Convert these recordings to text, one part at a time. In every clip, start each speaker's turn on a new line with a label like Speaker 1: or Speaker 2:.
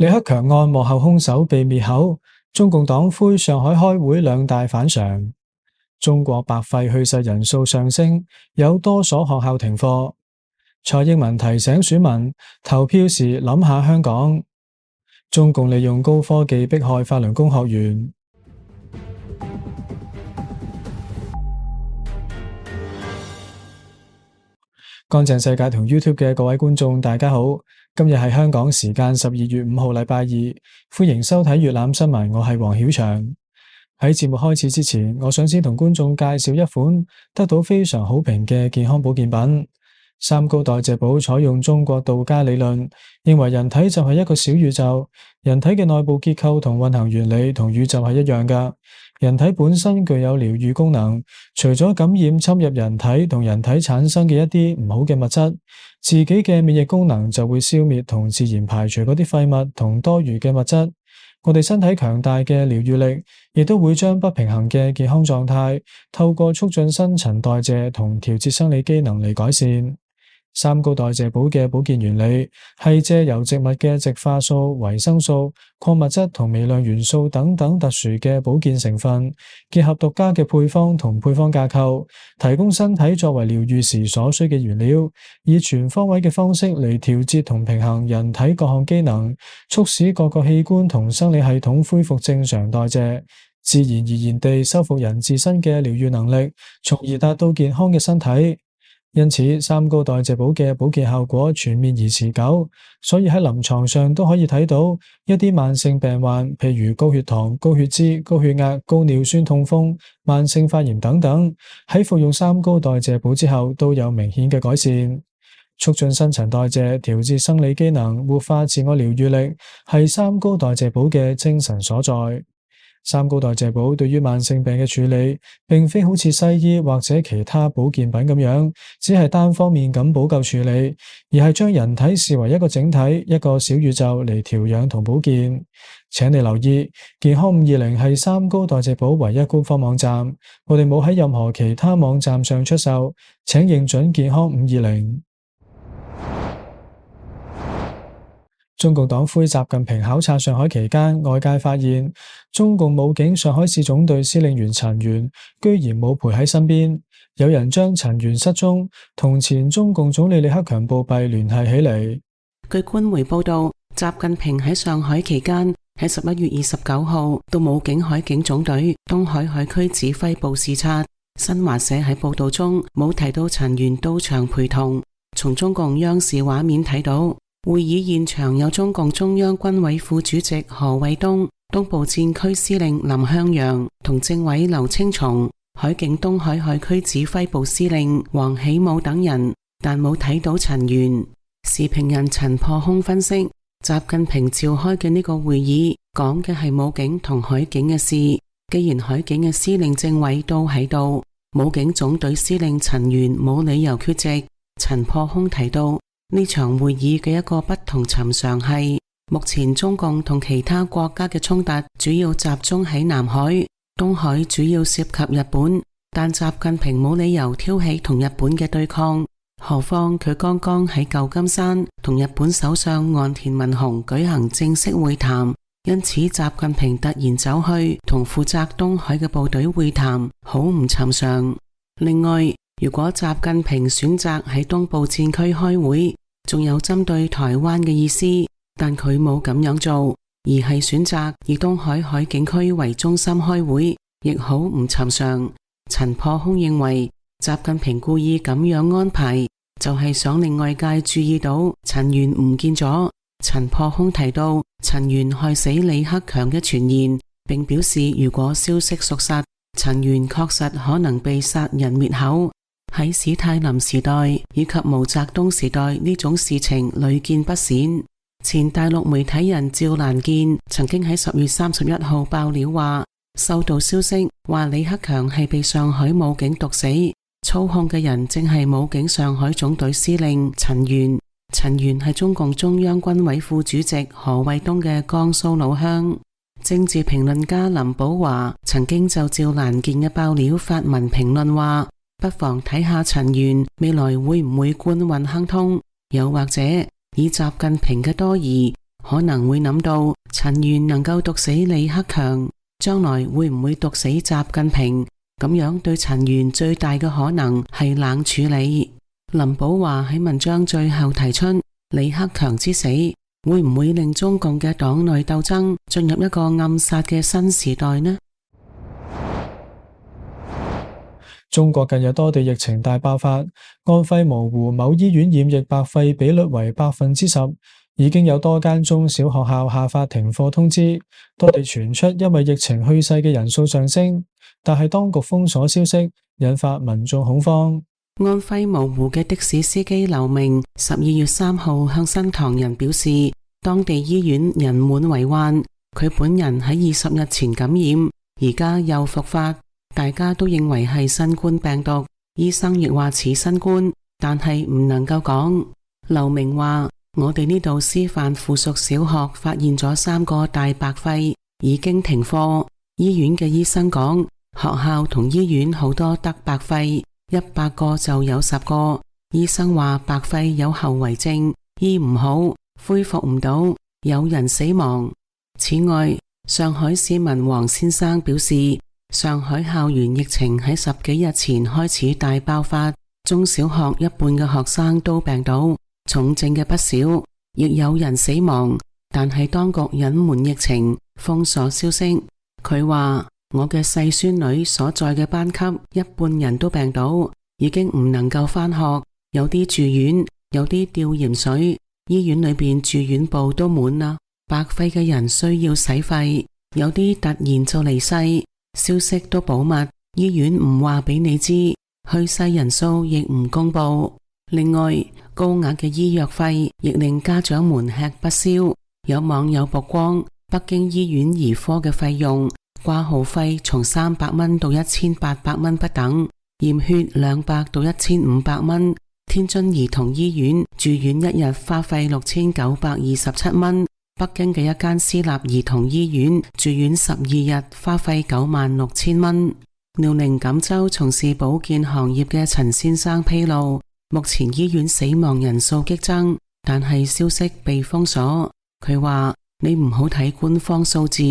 Speaker 1: 李克強案幕後兇手被滅口，中共黨魁上海開會兩大反常。中國白肺去世人數上升，有多所學校停課。蔡英文提醒選民投票時諗下香港。中共利用高科技迫害法輪功學員。乾淨世界同 YouTube 嘅各位觀眾，大家好。今日係香港時間12月5號禮拜二，歡迎收睇粵覽新聞，我係黃曉翔。喺節目開始之前，我想先同觀眾介紹一款得到非常好評嘅健康保健品。三高代謝寶採用中國道家理論，認為人體就係一個小宇宙，人體嘅內部結構同運行原理同宇宙係一樣㗎。人體本身具有療癒功能，除咗感染侵入人體同人體產生嘅一啲唔好嘅物質，自己嘅免疫功能就會消滅同自然排除嗰啲廢物同多餘嘅物質。我哋身體強大嘅療癒力，亦都會將不平衡嘅健康狀態，透過促進新陳代謝同調節生理機能嚟改善。三高代謝寶嘅保健原理係借由植物嘅植化素、維生素、礦物質同微量元素等等特殊嘅保健成分，結合獨家嘅配方同配方架構，提供身體作為療癒時所需嘅原料，以全方位嘅方式嚟調節同平衡人體各項機能，促使各個器官同生理系統恢復正常代謝，自然而然地修復人自身嘅療癒能力，從而達到健康嘅身體。因此，三高代謝寶嘅保健效果全面而持久，所以喺臨床上都可以睇到一啲慢性病患，譬如高血糖、高血脂、高血壓、高尿酸痛風、慢性發炎等等，喺服用三高代謝寶之後都有明顯嘅改善。促進新陳代謝、調節生理機能、活化自我療癒力，係三高代謝寶嘅精神所在。三高代謝寶對於慢性病嘅處理，並非好似西醫或者其他保健品咁樣，只係單方面咁補救處理，而係將人體視為一個整體、一個小宇宙嚟調養同保健。請你留意，健康520係三高代謝寶唯一官方網站，我哋冇喺任何其他網站上出售，請認準健康520。中共黨魁習近平考察上海期間，外界發現中共武警上海市總隊司令員陳元居然冇陪喺身邊，有人將陳元失蹤同前中共總理李克強暴斃聯繫起嚟。
Speaker 2: 據官媒報道，習近平喺上海期間喺11月29號到武警海警總隊東海海區指揮部視察。新華社喺報道中冇提到陳元到場陪同。從中共央視畫面睇到，會議現場有中共中央軍委副主席何衛東、東部戰區司令林向陽同政委劉青松、海警東海海區指揮部司令王喜武等人，但冇睇到陳元。時評人陳破空分析，習近平召開嘅呢個會議講嘅係武警同海警嘅事，既然海警嘅司令政委都喺度，武警總隊司令陳元冇理由缺席。陳破空提到，呢場會議嘅一個不同尋常係，目前中共同其他國家嘅衝突主要集中喺南海，東海主要涉及日本，但習近平冇理由挑起同日本嘅對抗，何況佢剛剛喺舊金山同日本首相岸田文雄舉行正式會談，因此習近平突然走去同負責東海嘅部隊會談，好唔尋常。另外，如果習近平選擇喺東部戰區開會，仲有針對台灣嘅意思，但佢冇咁樣做，而係選擇以東海海警區為中心開會，亦好唔尋常。陳破空認為，習近平故意咁樣安排，就係想令外界注意到陳元唔見咗。陳破空提到陳元害死李克強嘅傳言，並表示如果消息屬實，陳元確實可能被殺人滅口。喺史太林時代以及毛澤東時代，呢種事情屢見不鮮。前大陸媒體人趙蘭健曾經喺10月31號爆料話，收到消息話李克強係被上海武警毒死，操控嘅人正係武警上海總隊司令陳元。陳元係中共中央軍委副主席何衛東嘅江蘇老鄉。政治評論家林保華曾經就趙蘭健嘅爆料發文評論話，不妨睇下陳元未來會唔會官運亨通，又或者以習近平嘅多疑，可能會諗到陳元能夠毒死李克強，將來會唔會毒死習近平？咁樣對陳元最大嘅可能係冷處理。林保華喺文章最後提出，李克強之死會唔會令中共嘅黨內鬥爭進入一個暗殺嘅新時代呢？
Speaker 1: 中國近日多地疫情大爆發，安徽蕪湖某醫院染疫白肺比率為10%，已經有多間中小學校下發停課通知。多地傳出因為疫情去世嘅人數上升，但係當局封鎖消息，引發民眾恐慌。
Speaker 2: 安徽蕪湖嘅的士司機劉明12月3號向新唐人表示，當地醫院人滿為患，佢本人喺20日前感染，而家又復發。大家都認為係新冠病毒，醫生亦話似新冠，但係唔能夠講。劉明話：我哋呢度師範附屬小學發現咗3個大白肺，已經停課。醫院嘅醫生講，學校同醫院好多得白肺，100個就有10個。醫生話白肺有後遺症，醫唔好，恢復唔到，有人死亡。此外，上海市民黃先生表示，上海校園疫情喺10幾日前開始大爆發，中小學一半嘅學生都病倒，重症嘅不少，亦有人死亡。但係當局隱瞞疫情，封鎖消息。佢話：我嘅細孫女所在嘅班級一半人都病倒，已經唔能夠返學，有啲住院，有啲吊鹽水，醫院裏邊住院部都滿啦。白肺嘅人需要洗肺，有啲突然就離世。消息都保密，醫院唔話俾你知，去世人數亦唔公布。另外，高額嘅醫藥費亦令家長們吃不消。有網友曝光北京醫院兒科嘅費用，掛號費從300蚊到1800蚊不等，驗血200到1500蚊。天津兒童醫院住院一日花費6927蚊。北京嘅一間私立兒童醫院住院12日花費96000蚊。遼寧錦州從事保健行業嘅陳先生披露，目前醫院死亡人數激增，但係消息被封鎖。佢話：你唔好睇官方數字，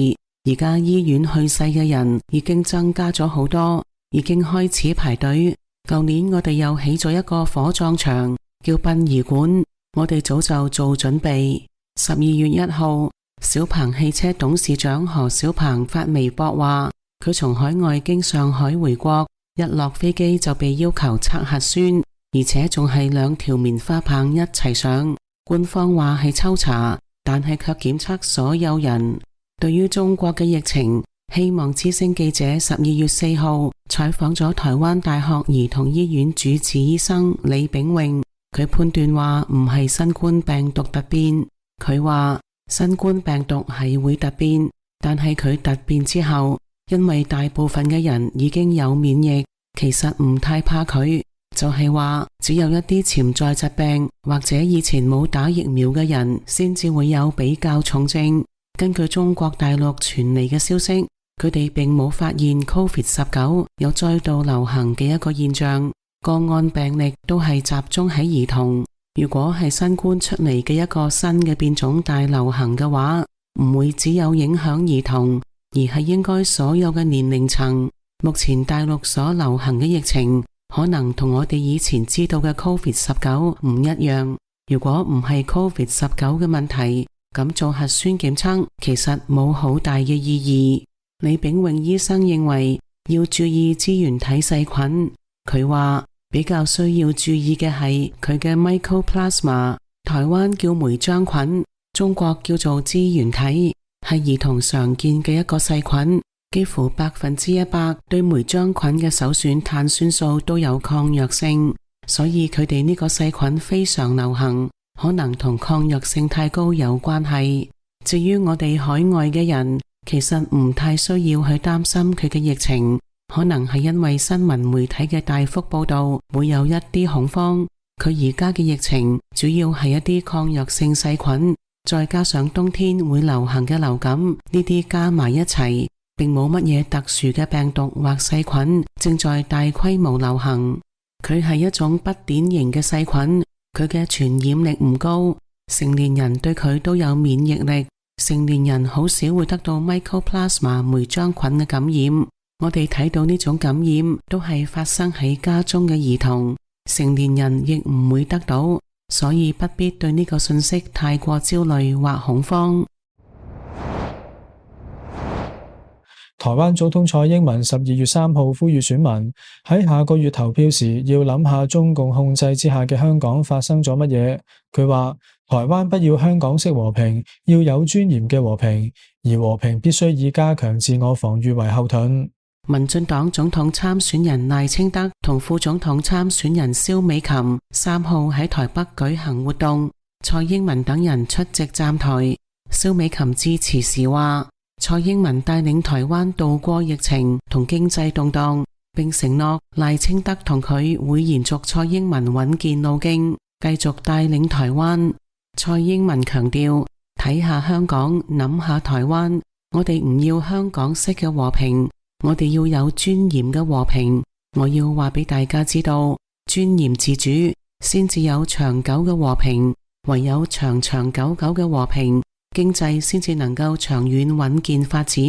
Speaker 2: 而家醫院去世嘅人已經增加咗好多，已經開始排隊。舊年我哋又起咗一個火葬場，叫殯儀館，我哋早就做準備。12月1號，小鵬汽車董事長何小鵬發微博話，佢從海外經上海回國，一落飛機就被要求測核酸，而且仲係2條棉花棒一齊上。官方話係抽查，但係卻檢測所有人。對於中國嘅疫情，希望之聲記者12月4號採訪咗台灣大學兒童醫院主治醫生李炳榮，佢判斷話唔係新冠病毒突變。佢話新冠病毒係會突變，但係佢突變之後，因為大部分嘅人已經有免疫，其實唔太怕佢，就係話只有一啲潛在疾病或者以前冇打疫苗嘅人先至會有比較重症。根據中國大陸傳嚟嘅消息，佢哋並冇發現 COVID-19 有再度流行嘅一個現象，個案病例都係集中喺兒童。如果係新冠出嚟嘅一個新嘅變種大流行嘅話，唔會只有影響兒童，而係應該所有嘅年齡層。目前大陸所流行嘅疫情，可能同我哋以前知道嘅 COVID-19 唔一樣。如果唔係 COVID-19 嘅問題，咁做核酸檢測其實冇好大嘅意義。李炳榮醫生認為要注意支原體細菌，佢話比較需要注意嘅係佢嘅 Mycoplasma， 台灣叫梅漿菌，中國叫做支原體，係兒童常見嘅一個細菌，幾乎100%對梅漿菌嘅首選碳酸素都有抗藥性，所以佢哋呢個細菌非常流行，可能同抗藥性太高有關係。至於我哋海外嘅人，其實唔太需要去擔心佢嘅疫情。可能係因為新聞媒體嘅大幅報道，會有一啲恐慌。佢而家嘅疫情主要係一啲抗藥性細菌，再加上冬天會流行嘅流感，呢啲加埋一齊，並冇乜嘢特殊嘅病毒或細菌正在大規模流行。佢係一種不典型嘅細菌，佢嘅傳染力唔高，成年人對佢都有免疫力。成年人好少會得到 Mycoplasma 霉漿菌嘅感染。我哋睇到呢種感染都係發生喺家中嘅兒童，成年人亦唔會得到，所以不必對呢個信息太過焦慮或恐慌。
Speaker 1: 台灣總統蔡英文12月3號呼籲選民喺下個月投票時要諗下中共控制之下嘅香港發生咗乜嘢。佢話台灣不要香港式和平，要有尊嚴嘅和平，而和平必須以加強自我防禦為後盾。
Speaker 2: 民進黨總統參選人賴清德同副總統參選人蕭美琴3號喺台北舉行活動，蔡英文等人出席站台。蕭美琴致辭時話，蔡英文帶領台灣渡過疫情同經濟動盪，並承諾賴清德同佢會延續蔡英文穩健路徑，繼續帶領台灣。蔡英文強調，睇下香港，諗下台灣，我哋唔要香港式嘅和平，我哋要有尊嚴嘅和平。我要話俾大家知道，尊嚴自主先至有長久嘅和平，唯有長長久久嘅和平，經濟先至能夠長遠穩健發展。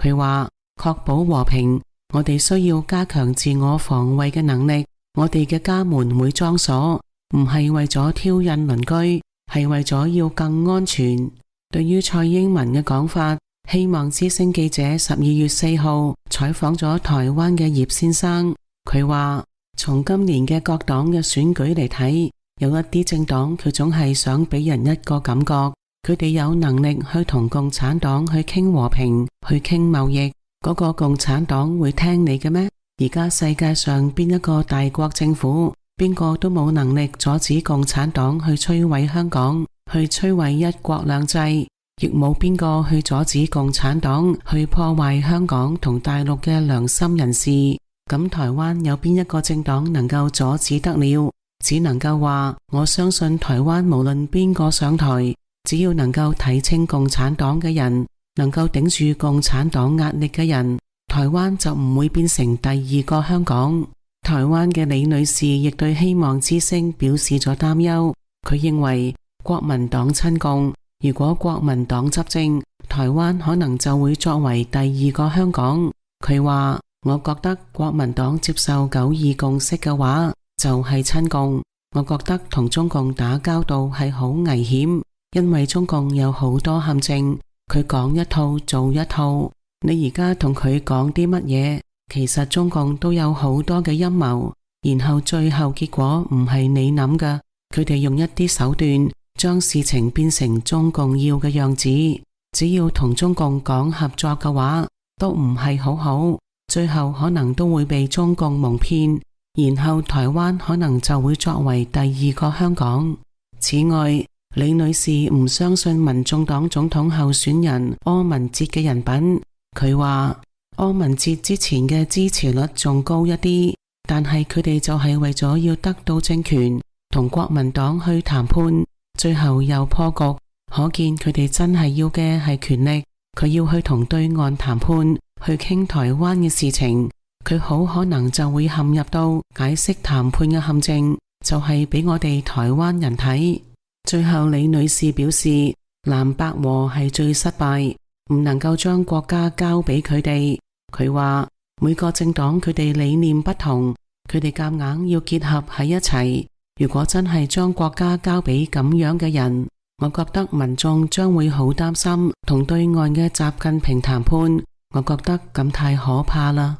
Speaker 2: 佢話，確保和平，我哋需要加強自我防衛嘅能力。我哋嘅家門會裝鎖，唔係為咗挑釁鄰居，係為咗要更安全。對於蔡英文嘅講法，希望之聲記者12月4號採訪咗台灣嘅葉先生，佢話從今年嘅各黨嘅選舉嚟睇，有一啲政黨佢總係想俾人一個感覺，佢哋有能力去同共產黨去傾和平，去傾貿易。嗰個共產黨會聽你嘅咩？而家世界上邊一個大國政府，邊個都冇能力阻止共產黨去摧毀香港，去摧毀一國兩制，亦冇邊個去阻止共產黨去破壞香港同大陸嘅良心人士。咁台灣有邊一個政黨能夠阻止得了？只能夠話，我相信台灣無論邊個上台，只要能夠睇清共產黨嘅人，能夠頂住共產黨壓力嘅人，台灣就唔會變成第二個香港。台灣嘅李女士亦對希望之聲表示咗擔憂，佢認為國民黨親共，如果國民黨執政，台灣可能就會作為第二個香港。佢話，我覺得國民黨接受9·2共識嘅話，就係親共。我覺得同中共打交道係好危險，因為中共有好多陷阱，佢講一套做一套。你而家同佢講啲乜嘢，其實中共都有好多嘅陰謀，然後最後結果唔係你諗㗎，佢哋用一啲手段將事情變成中共要嘅樣子。只要同中共講合作嘅話，都唔係好好，最後可能都會被中共蒙騙，然後台灣可能就會作為第二個香港。此外，李女士唔相信民眾黨總統候選人柯文哲嘅人品。佢話柯文哲之前嘅支持率仲高一啲，但係佢哋就係為咗要得到政權，同國民黨去談判，最後又破局。可見佢哋真係要嘅係權力，佢要去同對岸談判，去傾台灣嘅事情，佢好可能就會陷入到解釋談判嘅陷阱，就係俾我哋台灣人睇。最後李女士表示，藍白合係最失敗，唔能夠將國家交俾佢哋。佢話每個政黨佢哋理念不同，佢哋夾硬要結合喺一齊。如果真係將國家交俾咁樣嘅人，我覺得民眾將會好擔心同對岸嘅習近平談判。我覺得咁太可怕啦。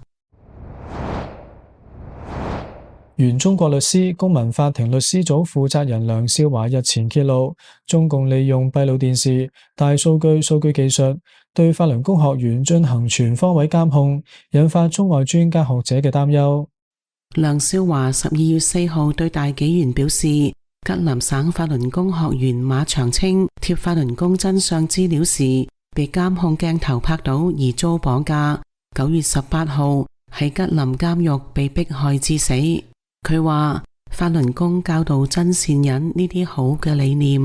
Speaker 1: 原中國律師、公民法庭律師組負責人梁少華日前揭露，中共利用閉路電視、大數據、數據技術對法輪功學員進行全方位監控，引發中外專家學者嘅擔憂。
Speaker 2: 梁少華12月4號對大紀元表示，吉林省法輪功學員馬長青貼法輪功真相資料時，被監控鏡頭拍到而遭綁架。9月18號喺吉林監獄被迫害致死。佢話法輪功教導真善忍呢啲好嘅理念，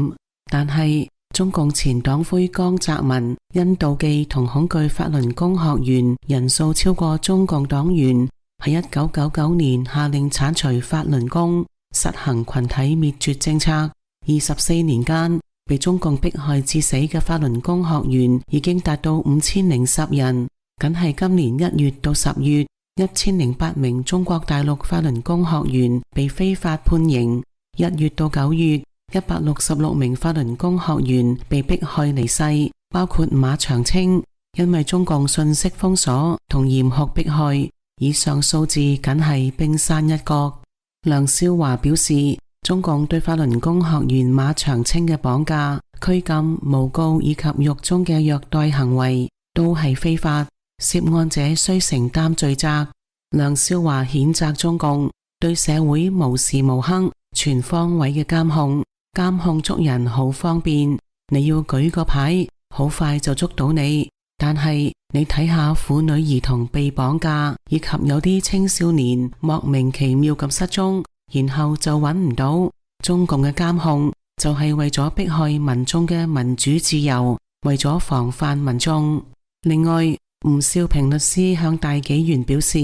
Speaker 2: 但係中共前黨魁江澤民因妒忌同恐懼法輪功學員人數超過中共黨員，喺1999年下令鏟除法輪功，實行群體滅絕政策。24年間，被中共迫害致死嘅法輪功學員已經達到5010人，僅係今年1月到10月，1008名中國大陸法輪功學員被非法判刑；1月到9月，166名法輪功學員被迫害離世，包括馬長青。因為中共信息封鎖同嚴酷迫害，以上數字僅係冰山一角。梁少華表示，中共對法輪功學員馬長青嘅綁架、拘禁、誣告以及獄中嘅虐待行為都係非法，涉案者須承擔罪責。梁少華譴責中共對社會無時無刻全方位嘅監控捉人好方便，你要舉個牌，好快就捉到你。但係你睇下婦女兒童被綁架，以及有啲青少年莫名其妙咁失蹤，然後就揾唔到。中共嘅監控就係為咗迫害民眾嘅民主自由，為咗防範民眾。另外，吳少平律師向大紀元表示，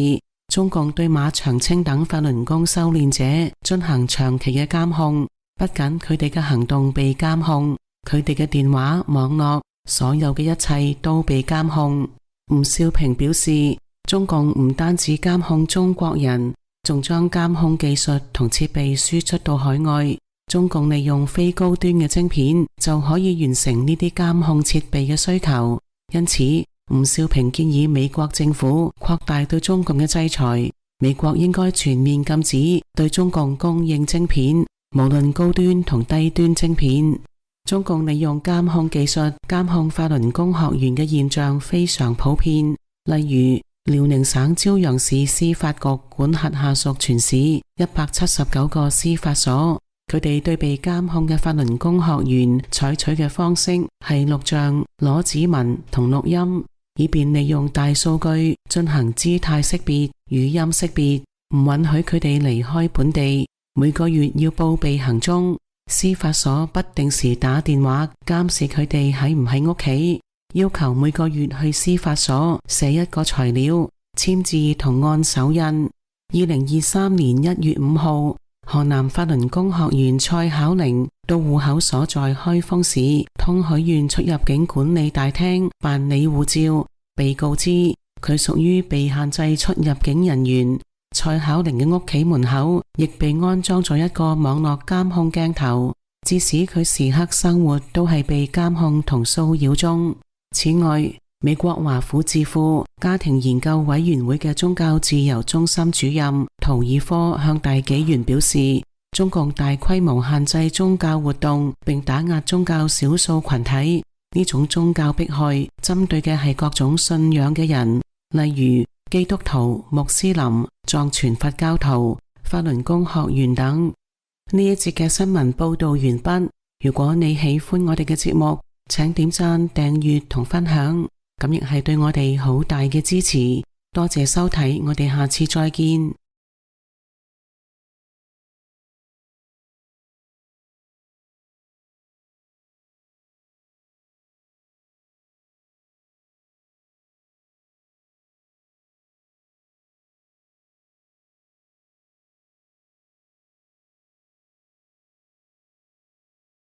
Speaker 2: 中共對馬長青等法輪功修煉者進行長期嘅監控，不僅佢哋嘅行動被監控，佢哋嘅電話、網絡所有嘅一切都被監控。吳少平表示，中共唔單止監控中國人，仲將監控技術同設備輸出到海外。中共利用非高端嘅晶片就可以完成呢啲監控設備嘅需求。因此，吳少平建議美國政府擴大對中共嘅制裁，美國應該全面禁止對中共供應晶片，無論高端同低端晶片。中共利用監控技術監控法輪功學員嘅現象非常普遍，例如遼寧省朝陽市司法局管轄下屬全市179個司法所，佢哋對被監控嘅法輪功學員採取嘅方式係錄像、攞指紋同錄音，以便利用大數據進行姿態識別、語音識別，唔允許佢哋離開本地，每個月要報備行蹤。司法所不定時打電話監視佢哋喺唔喺屋企，要求每個月去司法所寫一個材料，簽字同按手印。2023年1月5號，河南法輪功學員蔡巧玲到戶口所在開封市通許縣出入境管理大廳辦理護照，被告知佢屬於被限制出入境人員。蔡巧玲嘅屋企門口亦被安裝咗一個網絡監控鏡頭，致使佢時刻生活都係被監控同騷擾中。此外，美國華府智庫家庭研究委員會嘅宗教自由中心主任圖爾科向大紀元表示，中共大規模限制宗教活動並打壓宗教少數群體，呢種宗教迫害針對嘅係各種信仰嘅人，例如基督徒、穆斯林、藏傳佛教徒、法輪功學員等。呢一節嘅新聞報道完畢。如果你喜歡我哋嘅節目，請點讚、訂閱同分享，咁亦係對我哋好大嘅支持。多謝收睇，我哋下次再見。